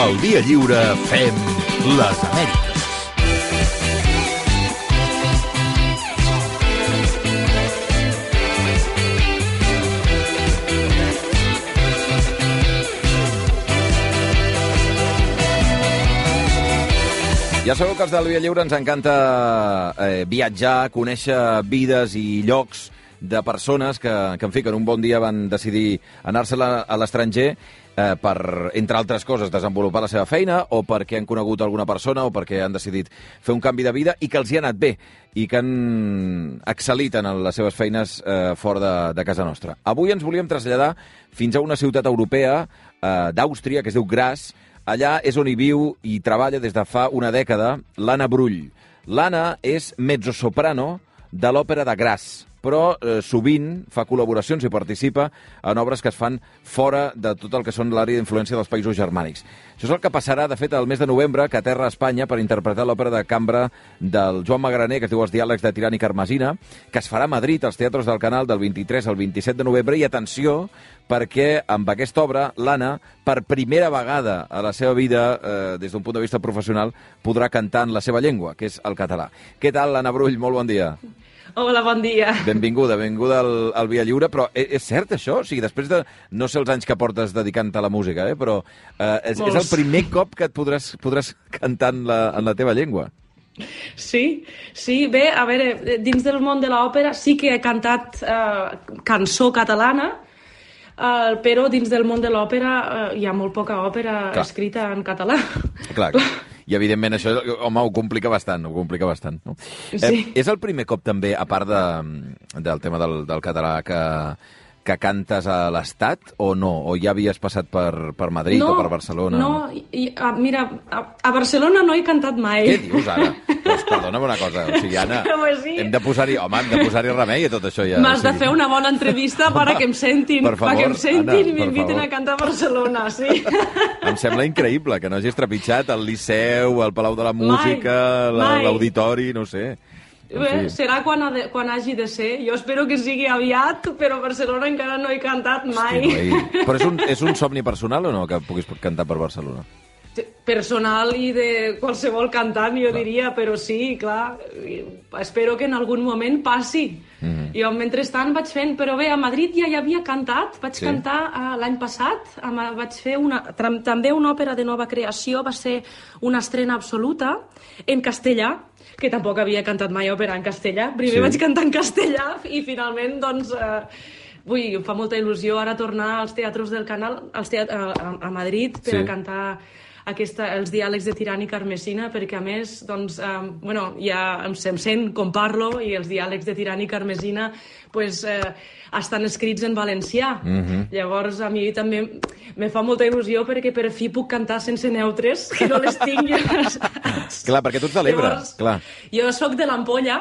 Al Dia Lliure fem les Amèriques. Ja sabeu que els del Dia Lliure ens encanta viatjar, conèixer vides i llocs de persones que en fi, que en un bon dia van decidir anar-se a l'estranger per, entre altres coses, desenvolupar la seva feina o perquè han conegut alguna persona o perquè han decidit fer un canvi de vida i que els hi ha anat bé i que han excel·lit en les seves feines fora de casa nostra. Avui ens volíem traslladar fins a una ciutat europea d'Àustria que es diu Graz. Allà és on hi viu i treballa des de fa una dècada l'Anna Brull. L'Anna és mezzosoprano de l'Òpera de Graz, però sovint fa col·laboracions i participa en obres que es fan fora de tot el que són l'àrea d'influència dels països germànics. Això és el que passarà, de fet, el mes de novembre, que aterra a Espanya per interpretar l'òpera de cambra del Joan Magraner, que es diu Els diàlegs de Tirant i Carmesina, que es farà a Madrid, als Teatres del Canal, del 23 al 27 de novembre. I atenció, perquè amb aquesta obra, l'Anna, per primera vegada a la seva vida, des d'un punt de vista professional, podrà cantar en la seva llengua, que és el català. Què tal, Anna Brull? Molt bon dia. Hola, bon dia. Benvinguda al Via Lliure, però és cert això? O sigui, després de no sé els anys que portes dedicant-te a la música, però és el primer cop que et podràs cantar en la teva llengua. Sí, bé, a veure, dins del món de l'òpera sí que he cantat cançó catalana, però dins del món de l'òpera hi ha molt poca òpera escrita en català. Clar. I, evidentment, això, home, ho complica bastant, no? Sí. És el primer cop, també, a part del tema del català, que cantes a l'Estat, o no? O ja havies passat per Madrid o per Barcelona? No, mira, a Barcelona no he cantat mai. Què dius, ara? Doncs perdona'm una cosa, o sigui, Anna, sí. hem de posar-hi remei a tot això ja. M'has de fer una bona entrevista para que em sentin, per favor, perquè em sentin Anna, i m'inviten a cantar a Barcelona, sí. Em sembla increïble que no hagis trepitjat el Liceu, el Palau de la Música, l'Auditori, no sé. Bé, serà quan hagi de ser. Jo espero que sigui aviat, però a Barcelona encara no he cantat mai. Hosti, però és un somni personal o no, que puguis cantar per Barcelona? Personal i de qualsevol cantant, jo diria, però sí, clar, espero que en algun moment passi. Jo, mentrestant, vaig fent... Però bé, a Madrid ja hi havia cantat, vaig cantar l'any passat, vaig fer també una òpera de nova creació, va ser una estrena absoluta, en castellà, que tampoc havia cantat mai òpera en castellà. Primer vaig cantar en castellà i finalment, doncs... em fa molta il·lusió ara tornar als teatres del Canal, a Madrid, per a cantar els diàlegs de Tirant i Carmesina, perquè a més, doncs, ja em sent com parlo, i els diàlegs de Tirant i Carmesina estan escrits en valencià. Llavors, a mi també me fa molta il·lusió perquè per fi puc cantar sense neutres, que no les tinc. Clar, perquè tu ets de l'Ebre, clar. Jo soc de l'Ampolla,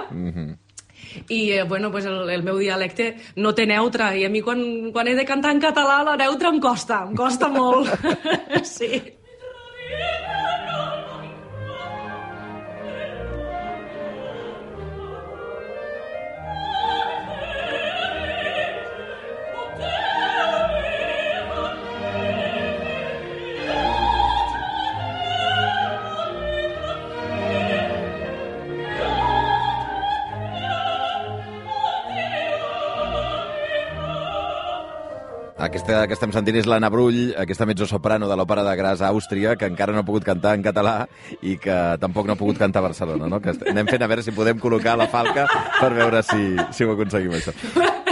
i el meu dialecte no té neutre, i a mi quan he de cantar en català la neutra em costa molt. Sí. Aquesta que estem sentint és l'Anna Brull, aquesta mezzosoprano de l'Òpera de Graz a Àustria, que encara no ha pogut cantar en català i que tampoc no ha pogut cantar a Barcelona, no? Que anem fent a veure si podem col·locar la falca per veure si ho aconseguim, això.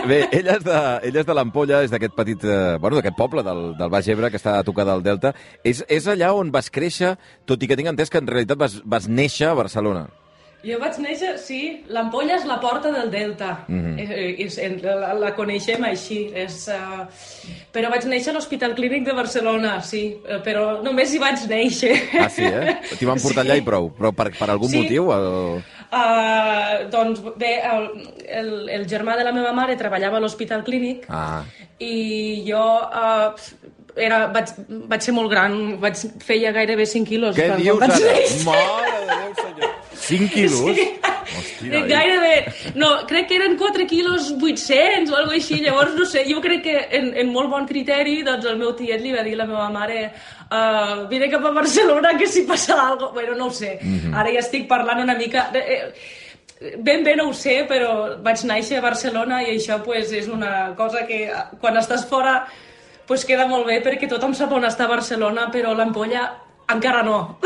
Bé, ella és de l'Ampolla, és d'aquest petit... d'aquest poble del Baix Ebre, que està a tocar del Delta. És allà on vas créixer, tot i que tinc entès que en realitat vas néixer a Barcelona. Jo vaig néixer, sí, l'Ampolla és la porta del Delta, la coneixem així, però vaig néixer a l'Hospital Clínic de Barcelona, sí, però només hi vaig néixer. Ah, sí, T'hi van portar allà i prou, però per algun motiu? Doncs bé, el germà de la meva mare treballava a l'Hospital Clínic i jo... vaig ser molt gran, feia gairebé 5 quilos. Què dius ara? Mare de Déu, senyor! 5 quilos? Sí. Gairebé, no, crec que eren 4 quilos 800 o alguna cosa així, llavors no sé, jo crec que en molt bon criteri, doncs el meu tiet li va dir a la meva mare vine cap a Barcelona que si passa alguna cosa, bueno, no ho sé, ara ja estic parlant una mica, ben bé no ho sé, però vaig néixer a Barcelona i això pues, és una cosa que quan estàs fora pues, queda molt bé perquè tothom sap on està a Barcelona, però l'ampolla encara no.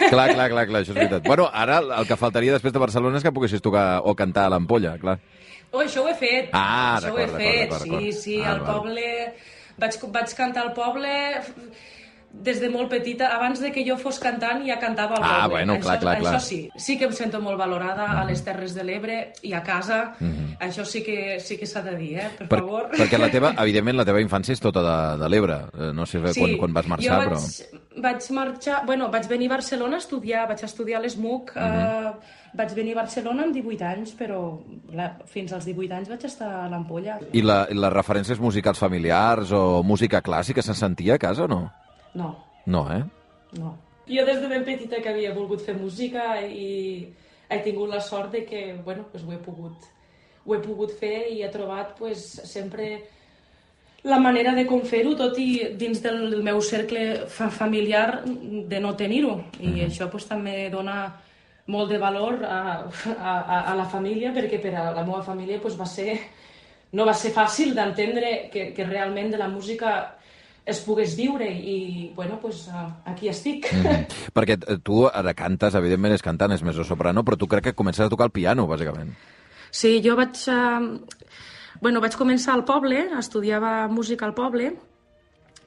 Clar, això és veritat. Bueno, ara el que faltaria després de Barcelona és que poguessis tocar o cantar a l'Ampolla, clar. Oh, això ho he fet. Això ho he fet, sí, al poble. Vaig cantar al poble des de molt petita. Abans de que jo fos cantant ja cantava al poble. Bueno, clar. Això sí que em sento molt valorada a les Terres de l'Ebre i a casa. Això sí que s'ha de dir, per favor. Perquè evidentment, la teva infància és tota de l'Ebre. No sé quan vas marxar, però... Vaig marxar... Bueno, vaig venir a Barcelona a estudiar. Vaig estudiar a l'ESMUC. Vaig venir a Barcelona amb 18 anys, però fins als 18 anys vaig estar a l'Ampolla. I les referències musicals familiars o música clàssica se'n sentia a casa o no? No. No, No. Jo des de ben petita que havia volgut fer música i he tingut la sort de que, bueno, pues ho he pogut fer i he trobat pues, sempre la manera de com fer-ho, tot i dins del meu cercle familiar de no tenir-ho. I això pues, també dona molt de valor a la família, perquè per a la meva família pues, no va ser fàcil d'entendre que realment de la música es pogués viure i, bueno, pues, aquí estic. Perquè tu ara cantes, evidentment és cantant, és mezzo-soprano, però tu crec que comences a tocar el piano, bàsicament. Sí, jo vaig començar al poble, estudiava música al poble,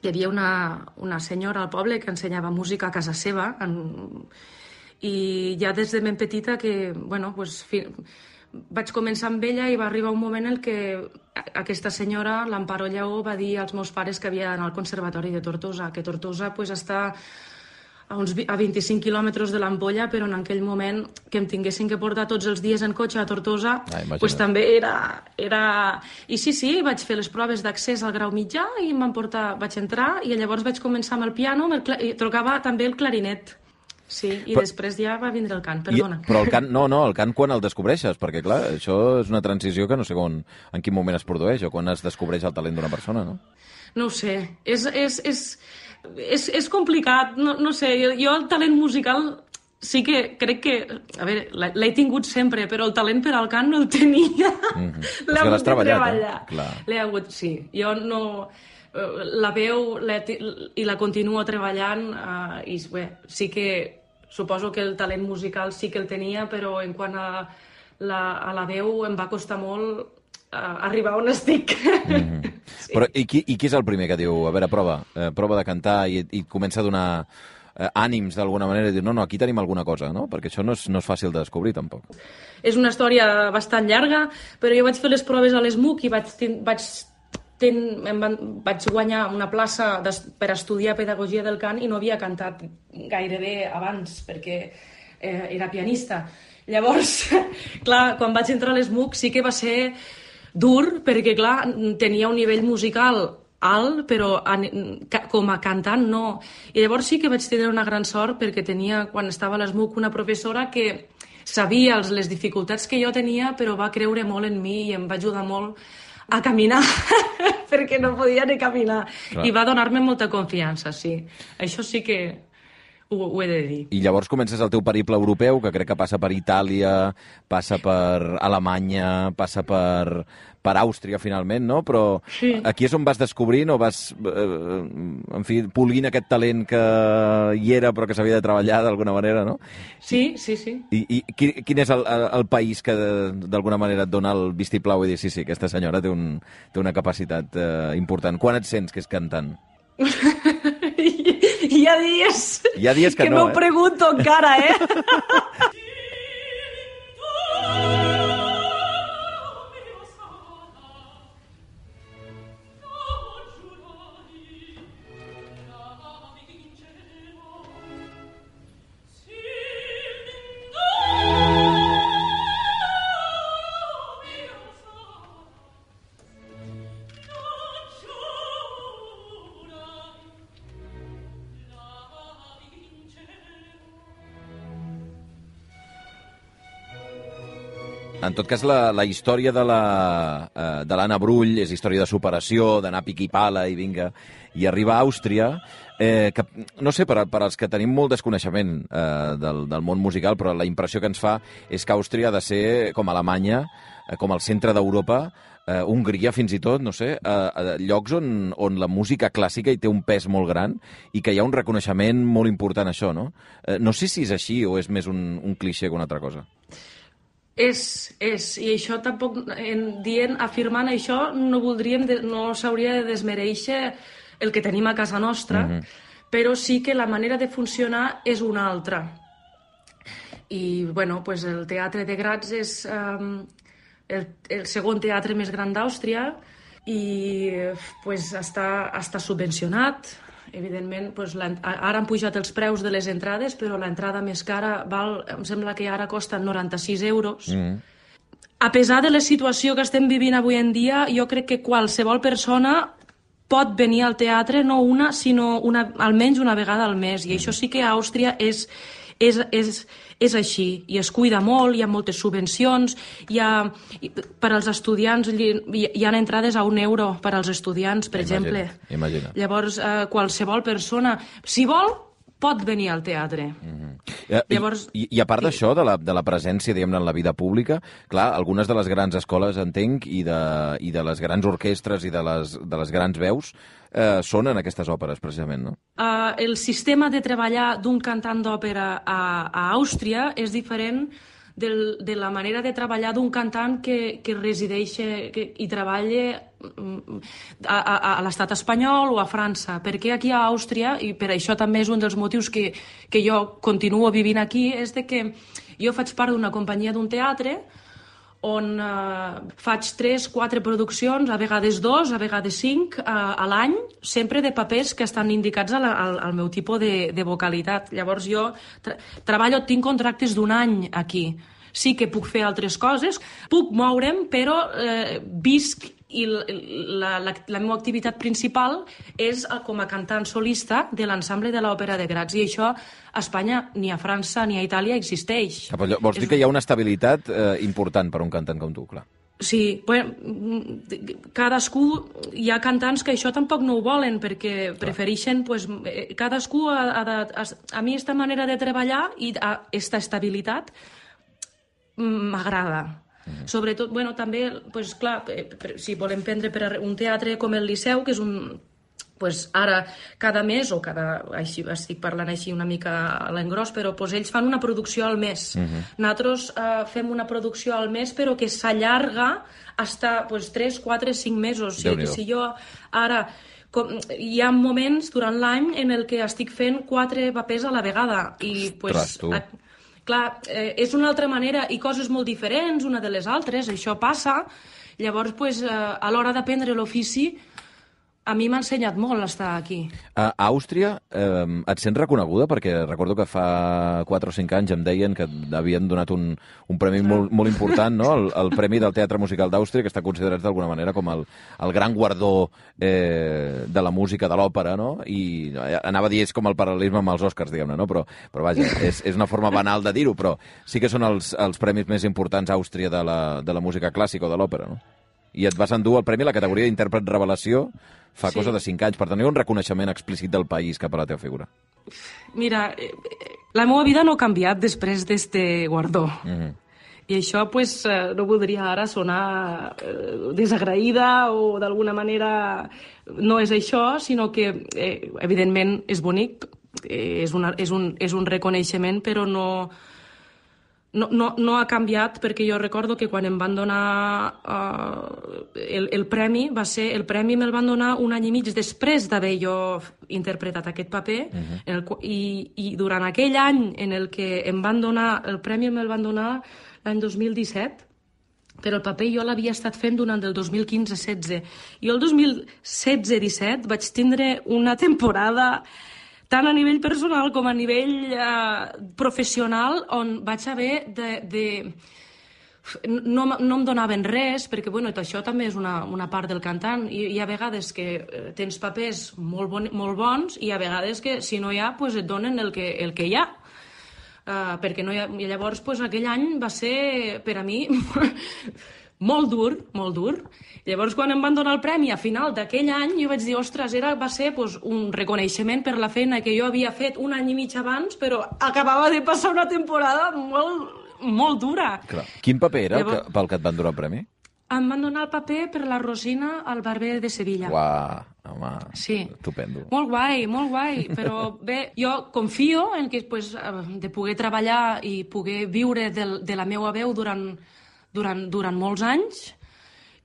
hi havia una senyora al poble que ensenyava música a casa seva, i ja des de ben petita que, bueno, pues, vaig començar amb ella i va arribar un moment en què aquesta senyora, l'Amparo Lleó, va dir als meus pares que havia d'anar al Conservatori de Tortosa, que Tortosa pues, està a 25 quilòmetres de l'Ampolla, però en aquell moment que em tinguessin que portar tots els dies en cotxe a Tortosa, pues, també era... I sí, vaig fer les proves d'accés al grau mitjà i vaig entrar i llavors vaig començar amb el piano i tocava també el clarinet. Sí, i després ja va vindre el cant, perdona. Però el cant, el cant quan el descobreixes? Perquè, clar, això és una transició que no sé en quin moment es produeix o quan es descobreix el talent d'una persona, no? No ho sé, és complicat, no sé, jo el talent musical sí que crec que, a veure, l'he tingut sempre, però el talent per al cant no el tenia. L'he hagut de treballar. L'he hagut, sí, jo no... La veu i la continuo treballant i bé, sí que suposo que el talent musical sí que el tenia, però en quant a la veu em va costar molt arribar on estic. Sí. Però i qui és el primer que diu, a veure, prova de cantar i comença a donar ànims d'alguna manera i dir, no, aquí tenim alguna cosa, no? Perquè això no és fàcil de descobrir, tampoc. És una història bastant llarga, però jo vaig fer les proves a l'ESMUC i vaig guanyar una plaça per estudiar pedagogia del cant i no havia cantat gairebé abans perquè era pianista. Llavors, clar, quan vaig entrar a l'ESMUC sí que va ser dur perquè, clar, tenia un nivell musical alt, però com a cantant no. I llavors sí que vaig tenir una gran sort perquè tenia, quan estava a l'ESMUC, una professora que sabia les dificultats que jo tenia, però va creure molt en mi i em va ajudar molt a caminar, perquè no podia ni caminar. Clar. I va donar-me molta confiança, sí. Això sí que ho he de dir. I llavors comences el teu periple europeu, que crec que passa per Itàlia, passa per Alemanya, passa per Àustria, finalment, no? Però sí. Aquí és on vas descobrint o vas, polint aquest talent que hi era però que s'havia de treballar d'alguna manera, no? Sí. I quin és el país que d'alguna manera et dona el vistiplau i dir, sí, aquesta senyora té una capacitat important. Quan et sents que és cantant? Hi ha dies que no, m'ho pregunto encara, En tot cas, la història de l'Anna Brull és història de superació, d'anar pic i pala i vinga, i arribar a Àustria, que, no sé, per als que tenim molt desconeixement del món musical, però la impressió que ens fa és que Àustria ha de ser com Alemanya, com el centre d'Europa, Hongria fins i tot, no sé, llocs on la música clàssica hi té un pes molt gran i que hi ha un reconeixement molt important a això, no? No sé si és així o és més un clixé que una altra cosa. És, i això tampoc, afirmant això, no s'hauria de desmereixer el que tenim a casa nostra, però sí que la manera de funcionar és una altra. I, bueno, pues el Teatre de Graz és el segon teatre més gran d'Àustria i pues, està subvencionat. Evidentment, pues, ara han pujat els preus de les entrades, però l'entrada més cara em sembla que ara costa 96 euros. A pesar de la situació que estem vivint avui en dia, jo crec que qualsevol persona pot venir al teatre, no una, sinó almenys una vegada al mes. I això sí que a Àustria és així, i es cuida molt, hi ha moltes subvencions, per als estudiants hi ha entrades a €1 per als estudiants, per exemple. Imagina. Llavors, qualsevol persona, si vol, pot venir al teatre. Llavors, I a part d'això, de la presència, diguem-ne, en la vida pública, clar, algunes de les grans escoles, entenc, i de les grans orquestres i de les grans veus, són en aquestes òperes, precisament, no? El sistema de treballar d'un cantant d'òpera a Àustria és diferent de la manera de treballar d'un cantant que resideix i treballa a l'estat espanyol o a França. Perquè aquí a Àustria, i per això també és un dels motius que jo continuo vivint aquí, és de que jo faig part d'una companyia d'un teatre on faig 3-4 produccions, a vegades 2, a vegades 5 a l'any, sempre de papers que estan indicats al meu tipus de vocalitat. Llavors jo treballo, tinc contractes d'un any aquí. Sí que puc fer altres coses, puc moure'm, però visc i la meva activitat principal és com a cantant solista de l'ensemble de l'Òpera de Graz, i això a Espanya ni a França ni a Itàlia existeix. Vols dir que hi ha una estabilitat important per a un cantant com tu, clar? Sí, cadascú, hi ha cantants que això tampoc no ho volen, perquè prefereixen, cadascú a mi aquesta manera de treballar i aquesta estabilitat m'agrada. Sobretot, també, clar, si volem prendre per un teatre com el Liceu, que és ara cada mes, o així estic parlant així una mica a l'engròs, però ells fan una producció al mes. Nosaltres fem una producció al mes, però que s'allarga fins 3, 4, 5 mesos. Si jo ara... Hi ha moments durant l'any en el que estic fent 4 papers a la vegada. I, clar, és una altra manera i coses molt diferents una de les altres, això passa. Llavors, a l'hora d'aprendre l'ofici, a mi m'ha ensenyat molt estar aquí. A Àustria et sents reconeguda? Perquè recordo que fa 4 o 5 anys em deien que havien donat un premi molt important, no? El Premi del Teatre Musical d'Àustria, que està considerat d'alguna manera com el gran guardó de la música, de l'òpera, no? I anava a dir, és com el paral·lelisme amb els Oscars, diguem-ne, no? Però vaja, és una forma banal de dir-ho, però sí que són els premis més importants a Àustria de la música clàssica o de l'òpera, no? I et vas endur el premi a la categoria d'intèrpret revelació fa cosa de 5 anys. Per tenir un reconeixement explícit del país cap a la teva figura. Mira, la meva vida no ha canviat després d'este guardó. I això, no voldria ara sonar desagraïda o d'alguna manera no és això, sinó que, evidentment, és bonic, és un reconeixement, però no ha canviat, perquè jo recordo que quan em van donar el premi, el premi me'l van donar 1 any i mig després d'haver jo interpretat aquest paper, i durant aquell any en el que em van donar el premi, me'l van donar l'any 2017, però el paper jo l'havia estat fent durant el 2015-16. Jo el 2016-17 vaig tindre una temporada tant a nivell personal com a nivell professional, on vaig haver no em donaven res, perquè això també és una part del cantant. Hi ha vegades que tens papers molt bons i hi ha vegades que si no hi ha, et donen el que hi ha. perquè no i llavors pues, aquell any va ser per a mi molt dur, molt dur. Llavors quan em van donar el premi a final d'aquell any jo vaig dir, ostres, va ser pues, un reconeixement per la feina que jo havia fet un any i mig abans, però acabava de passar una temporada molt dura. Clar. Quin paper era pel que et van donar el premi? Em van donar el paper per la Rosina al Barber de Sevilla. Uau, home, sí. Estupendo. Molt guai, però bé, jo confio en que pues, de poder treballar i poder viure de la meva veu durant molts anys,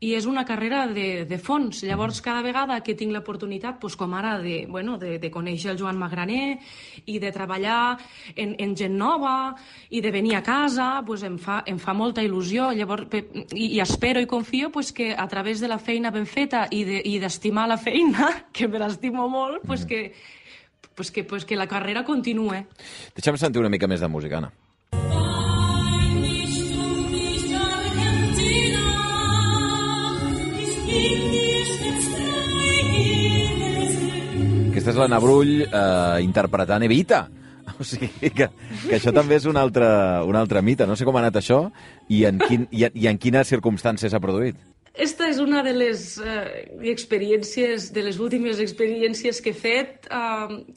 i és una carrera de fons. Llavors, cada vegada que tinc l'oportunitat, doncs, com ara de conèixer el Joan Magraner i de treballar en gent nova i de venir a casa, doncs, em fa molta il·lusió. Llavors, i espero i confio doncs, que a través de la feina ben feta i d'estimar la feina, que me l'estimo molt, doncs, que la carrera continue. Deixa'm sentir una mica més de música, Anna. Aquesta és l'Anna Brull interpretant Evita. O sigui que això també és un altre mite. No sé com ha anat això i en quines circumstàncies s'ha produït. Esta és una de les experiències, de les últimes experiències que he fet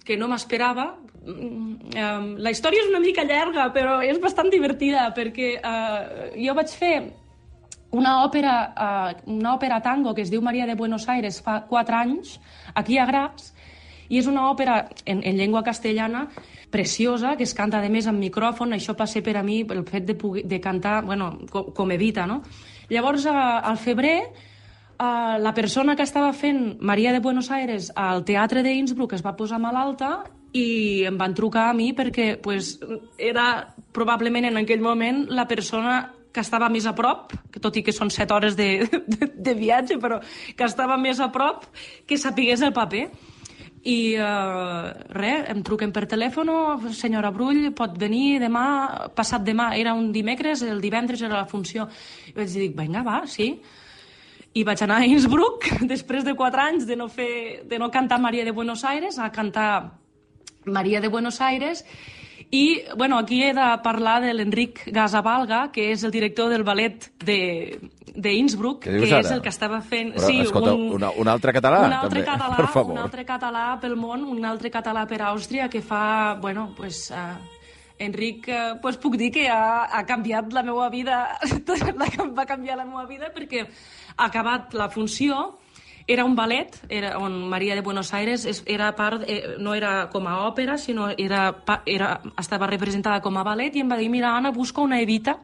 que no m'esperava. La història és una mica llarga, però és bastant divertida perquè jo vaig fer una òpera tango que es diu Maria de Buenos Aires fa 4 anys, aquí a Graz, i és una òpera en llengua castellana preciosa, que es canta, a més, amb micròfon. Això va ser per a mi el fet de cantar com Evita, no? Llavors, al febrer, la persona que estava fent Maria de Buenos Aires al Teatre d'Innsbruck es va posar malalta i em van trucar a mi perquè era probablement en aquell moment la persona que estava més a prop, tot i que són 7 hores de viatge, però que estava més a prop, que sapigués el paper. I em truquen per telèfon, senyora Brull, pot venir demà, passat demà, era un dimecres, el divendres era la funció. I vaig dir, vinga, va, sí. I vaig anar a Innsbruck, després de 4 anys de no cantar Maria de Buenos Aires, a cantar Maria de Buenos Aires. I, aquí he de parlar de l'Enric Gasabalga, que és el director del ballet d'Innsbruck, que és el que estava fent... Però, sí, escolta, un altre català, també, per favor. Un altre català pel món, un altre català per Àustria, que fa, Enric, puc dir que ha canviat la meva vida, va canviar la meva vida perquè ha acabat la funció. Era un ballet on Maria de Buenos Aires no era com a òpera, sinó estava representada com a ballet, i em va dir, mira, Anna, busca una Evita.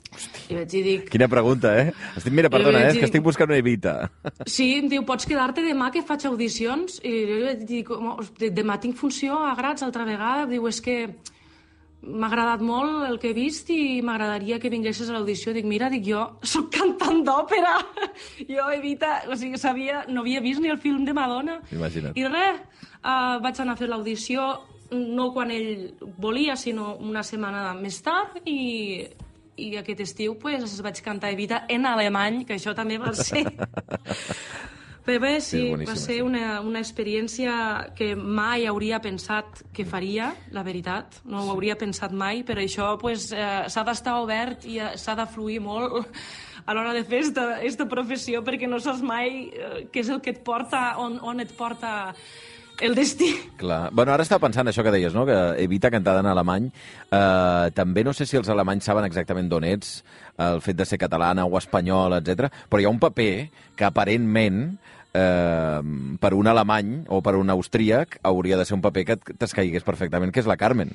Hosti, i vaig dir... Quina pregunta, eh? Mira, perdona, és que estic buscant una Evita. Sí, em diu, pots quedar-te demà que faig audicions? I jo vaig dir, demà tinc funció a Graz altra vegada. Diu, és que m'ha agradat molt el que he vist i m'agradaria que vinguessis a l'audició. Dic, mira, jo soc cantant d'òpera. Jo, Evita, no havia vist ni el film de Madonna. Imagina't. I res, vaig anar a fer l'audició, no quan ell volia, sinó una setmana més tard, i aquest estiu vaig cantar Evita en alemany, que això també va ser... Però bé, sí, va ser una experiència que mai hauria pensat que faria, la veritat. No ho hauria pensat mai, però això s'ha d'estar obert i s'ha de fluir molt a l'hora de fer aquesta professió, perquè no saps mai què és el que et porta, on et porta el destí. Clar. Ara estava pensant això que deies, no? Que Evita cantada en alemany. També no sé si els alemanys saben exactament d'on ets, el fet de ser catalana o espanyol, etc. Però hi ha un paper que aparentment per un alemany o per un austríac hauria de ser un paper que t'escaigués perfectament, que és la Carmen.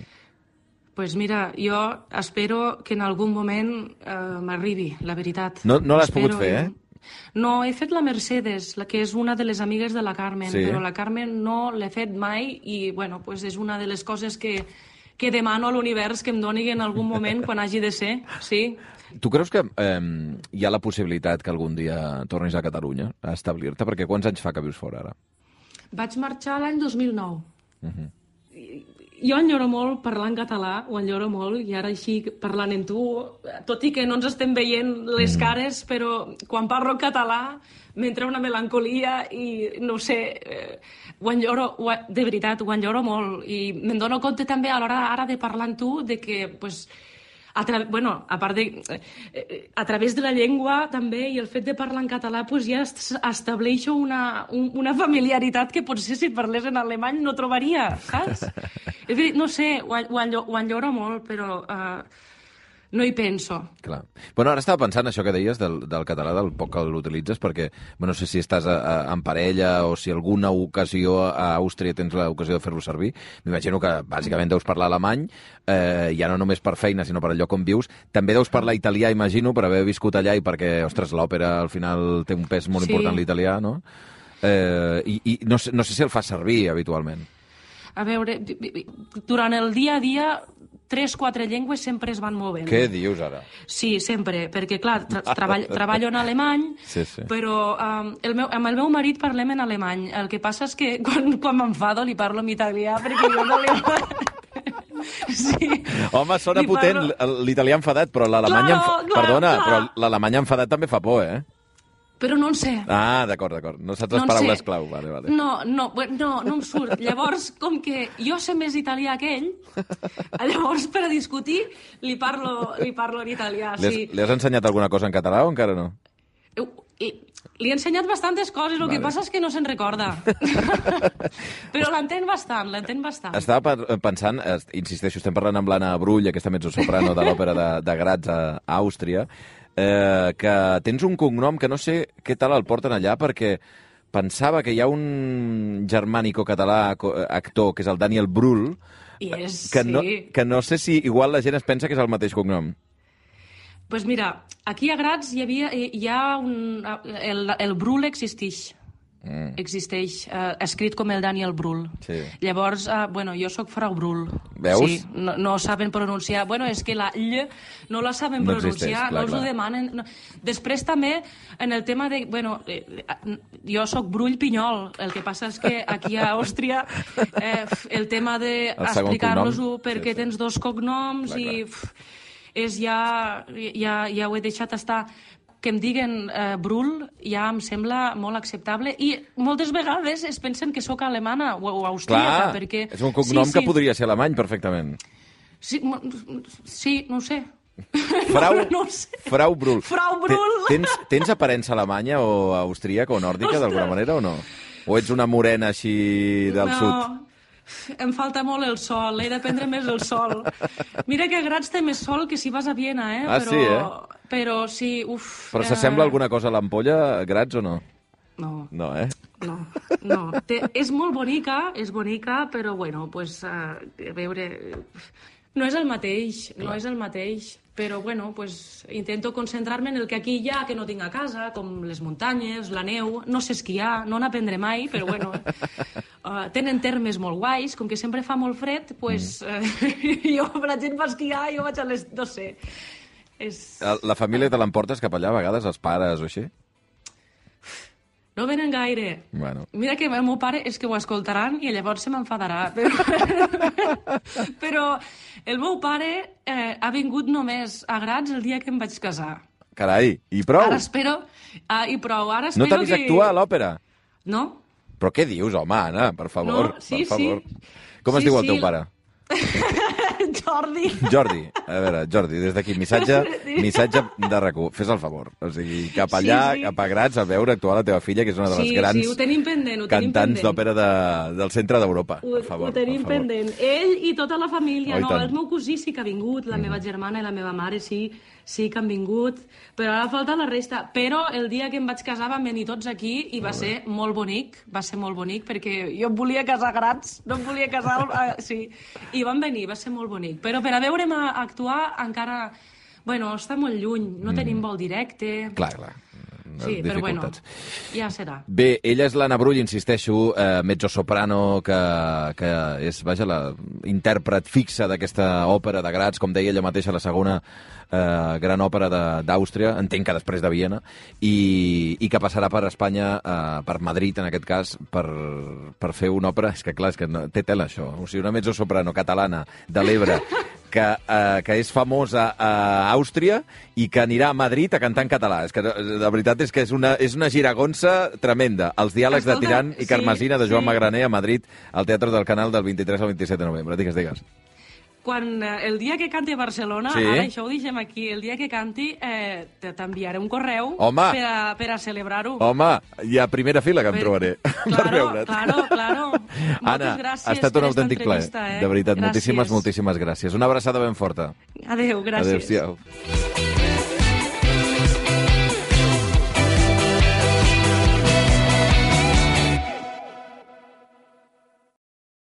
Pues mira, jo espero que en algun moment m'arribi, la veritat. No l'has pogut fer, eh? No, he fet la Mercedes, que és una de les amigues de la Carmen, sí. Però la Carmen no l'he fet mai i, és una de les coses que demano a l'univers que em doni en algun moment quan hagi de ser, sí. Tu creus que hi ha la possibilitat que algun dia tornis a Catalunya a establir-te? Perquè quants anys fa que vius fora, ara? Vaig marxar l'any 2009. Jo enyoro molt parlar en català, ho enyoro molt, i ara així parlant amb tu, tot i que no ens estem veient les cares, però quan parlo en català m'entra una melancolia i no ho sé, ho enyoro, de veritat, ho enyoro molt. I me'n dono compte també a l'hora ara de parlar amb tu de que, pues, a part de, a través de la llengua també i el fet de parlar en català pues ja estableixo una familiaritat que potser si parlés en alemany no trobaria, saps? És dir, no sé, ho enyoro molt, però no hi penso. Clar. Bueno, ara estava pensant això que deies del català, del poc que l'utilitzes, perquè no sé si estàs en parella o si alguna ocasió a Àustria tens l'ocasió de fer-lo servir. M'imagino que bàsicament deus parlar alemany, ja no només per feina, sinó per el lloc on vius. També deus parlar italià, imagino, per haver viscut allà i perquè, ostres, l'òpera al final té un pes molt important l'italià, no? I no sé si el fas servir habitualment. A veure, durant el dia a dia 3-4 llengües sempre es van movent. Què dius ara? Sí, sempre, perquè clar, treballo en alemany, però amb el meu marit parlem en alemany. El que passa és que quan m'enfado li parlo en italià, perquè jo no Sí. Home, sona potent l'italià enfadat, però l'alemany però l'alemany enfadat també fa por, Però no en sé. Ah, d'acord. No saps les paraules clau. Vale. No em surt. Llavors, com que jo sé més italià que ell, llavors per a discutir li parlo en italià. Sí. Li has ensenyat alguna cosa en català o encara no? Li he ensenyat bastantes coses, el que passa és que no se'n recorda. Però l'entén bastant. Estava pensant, insisteixo, estem parlant amb l'Anna Brull, aquesta mezzosoprano de l'òpera de Graz a Àustria, que tens un cognom que no sé què tal el porten allà, perquè pensava que hi ha un germànico-català actor, que és el Daniel Brühl, que no sé si igual la gent es pensa que és el mateix cognom. Pues mira, aquí a Graz el Brühl existeix. Existeix, escrit com el Daniel Brühl. Sí. Llavors, jo sóc Frau Brühl. Veus? Sí, no saben pronunciar. És que la ll no la saben pronunciar, no els ho demanen. No. Després també, en el tema de... jo sóc Brull Pinyol, el que passa és que aquí a Àustria el tema d'explicar-los-ho perquè tens dos cognoms i ja ho he deixat estar. Que em diguen Brühl ja em sembla molt acceptable i moltes vegades es pensen que sóc alemana o austríaca. Perquè... és un cognom que podria ser alemany perfectament. Sí, no ho sé. Frau Brühl. Frau Brühl. Tens aparença alemanya o austríaca o nòrdica d'alguna manera o no? O ets una morena així del sud? Em falta molt el sol, he de prendre més el sol. Mira que a Graz té més sol que si vas a Viena, sí, Però sí, Però s'assembla alguna cosa a l'Ampolla, Graz, o no? No. No, No. És molt bonica, però a veure... No és el mateix, però intento concentrar-me en el que aquí hi ha, que no tinc a casa, com les muntanyes, la neu, no sé esquiar, no n'aprendré mai, però tenen termes molt guais, com que sempre fa molt fred, jo, la gent va esquiar, jo vaig a les... no sé. La família te l'emportes cap allà a vegades, els pares o així? No venen gaire. Bueno. Mira que el meu pare és que ho escoltaran i llavors se m'enfadarà. Però el meu pare ha vingut només a Graz el dia que em vaig casar. Carai, i prou? Ara espero... I prou, ara espero que... No t'ha vist actuar a l'òpera? No. Però què dius, home, Anna? Per favor, per favor. Com es diu el teu pare? Jordi. A veure, Jordi, des d'aquí, missatge de RAC1. Fes el favor. O sigui, cap allà, cap a Graz, a veure actuar la teva filla, que és una de les grans cantants d'òpera del centre d'Europa. Per favor, ho tenim pendent. Ell i tota la família. No, el meu cosí sí que ha vingut, la meva germana i la meva mare sí que han vingut, però ara falta la resta. Però el dia que em vaig casar van venir tots aquí i va ser molt bonic, perquè jo em volia casar a Graz, no em volia casar... Sí, i van venir, va ser molt bonic. Però per a veure'm actuar encara... està molt lluny, no tenim vol directe... Clar. Sí, però bueno, dificultats. ja serà. Bé, ella és l'Anna Brull, insisteixo, mezzosoprano, que és, vaja, la intèrpret fixa d'aquesta òpera de Graz, com deia ella mateixa, la segona gran òpera d'Àustria, entenc que després de Viena, i que passarà per Espanya, per Madrid, en aquest cas, per fer una òpera... És que, clar, és que no, té tela, això. O sigui, una mezzosoprano catalana de l'Ebre que és famosa a Àustria i que anirà a Madrid a cantar en català. És que, la veritat és que és una giragonsa tremenda. Els diàlegs de Tirant i Carmesina de Joan Magraner a Madrid, al Teatre del Canal del 23 al 27 de novembre. Digues. Quan el dia que canti a Barcelona, ara això ho deixem aquí, el dia que canti t'enviaré un correu per a celebrar-ho. Home, hi ha primera fila que em trobaré per veure't. Claro. Anna, gràcies, ha estat un autèntic plaer. De veritat, moltíssimes gràcies. Una abraçada ben forta. Adéu, gràcies. Adéu-siau.